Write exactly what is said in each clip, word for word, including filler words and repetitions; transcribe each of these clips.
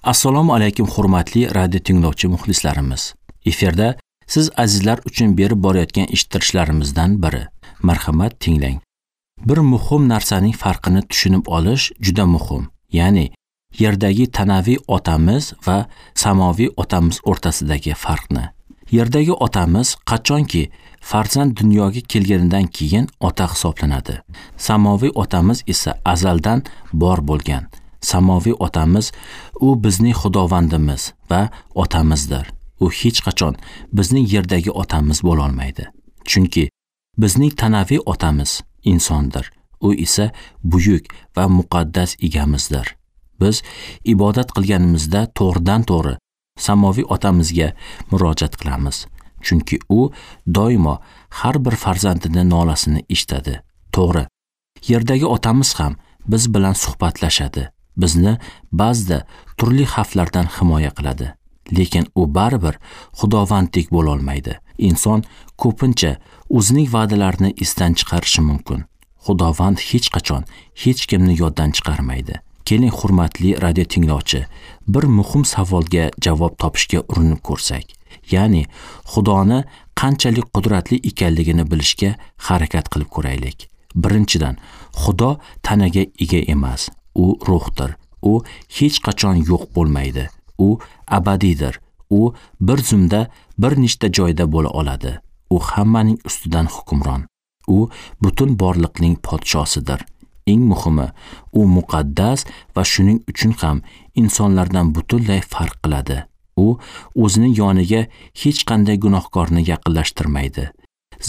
Assalomu alaykum hurmatli radio tinglovchi muxlislarimiz. Efirda siz azizlar uchun berib borayotgan eshittirishlarimizdan biri. Marhamat, tinglang. Bir muhim narsaning farqini tushunib olish juda muhim. Ya'ni yerdagi tanaviy otamiz va samoviy otamiz o'rtasidagi farqni. Yerdagi otamiz qachonki farzand dunyoga kelganidan keyin ota hisoblanadi. Samoviy otamiz esa azaldan bor bo'lgan. Samoviy otamiz u bizning Xudovandimiz va otamizdir. U hech qachon bizning yerdagi otamiz bo'la olmaydi. Chunki bizning tanaviy otamiz insondir. U esa buyuk va muqaddas egamizdir. Biz ibodat qilganimizda to'g'ridan-to'g'ri samoviy otamizga murojaat qilamiz. Chunki u doimo har bir farzandini nolasini eshitadi. To'g'ri, yerdagi otamiz ham biz bilan suhbatlashadi. Bizni ba'zida turli xavflardan himoya qiladi. Lekin u baribir Xudovandek bo'la olmaydi. Inson ko'pincha o'zining va'dalarini esdan chiqarishi mumkin. Xudovand hech qachon hech kimni yoddan chiqarmaydi. Keling, hurmatli radio tinglovchi, bir muhim savolga javob topishga urinib ko'rsak. Ya'ni Xudoni qanchalik qudratli ekanligini bilishga harakat qilib ko'raylik. Birinchidan, Xudo tanaga ega emas. U ruhdir. U hech qachon yo'q bo'lmaydi. U abadiydir. U bir zumda bir nechta joyda bo'la oladi. U hammaning ustidan hukmron. U butun borliqning podshosidir. Eng muhimi, u muqaddas va shuning uchun ham insonlardan butunlay farq qiladi. U o'zining yoniga hech qanday gunohkorni yaqinlashtirmaydi.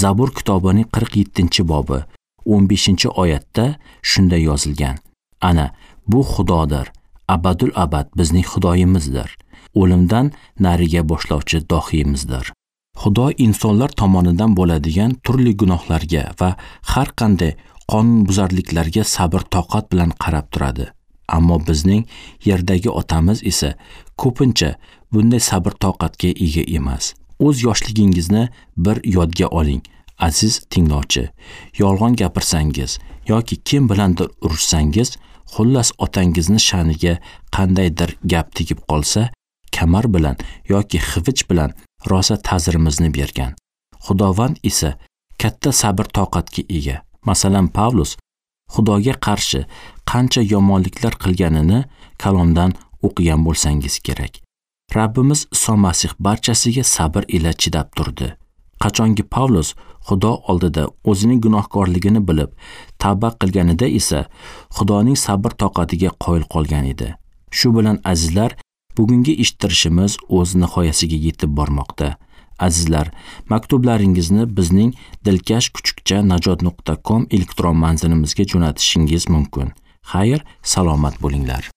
Zabur kitobining qirq yettinchi bobi o'n beshinchi oyatda shunday yozilgan: Ana bu Xudodir, abadul abad bizning Xudoyimizdir. O'limdan nariga boshlovchi dohiyimizdir. Xudo insonlar tomonidan bo'ladigan turli gunohlarga va har qanday qonunbuzarliklarga sabr toqat bilan qarab turadi. Ammo bizning yerdagi otamiz esa ko'pincha bunday sabr toqatga ega emas. O'z yoshligingizni bir yodga oling, aziz tinglovchi. Yolg'on gapirsangiz yoki kim bilandir urushsangiz, xullas otangizni sha'niga qandaydir gap tegib qolsa, kamar bilan yoki xivich bilan rosa ta'zirimizni bergan. Xudovand esa katta sabr toqatga ega. Masalan, Pavlus Xudoga qarshi qancha yomonliklar qilganini kalomdan o'qigan bo'lsangiz kerak. Rabbimiz Iso Masih barchasiga sabr ila chidab turdi. Qachonki Pavlus Xudo oldida o'zining gunohkorligini bilib, tavba qilganida esa Xudoning sabr toqatiga qoyil qolgan edi. Shu bilan azizlar, bugungi eshittirishimiz o'z nihoyasiga yetib bormoqda. Azizlar, maktublaringizni bizning dilkash kuchukcha najot nuqta com elektron manzilimizga jo'natishingiz mumkin. Xayr, salomat bo'linglar.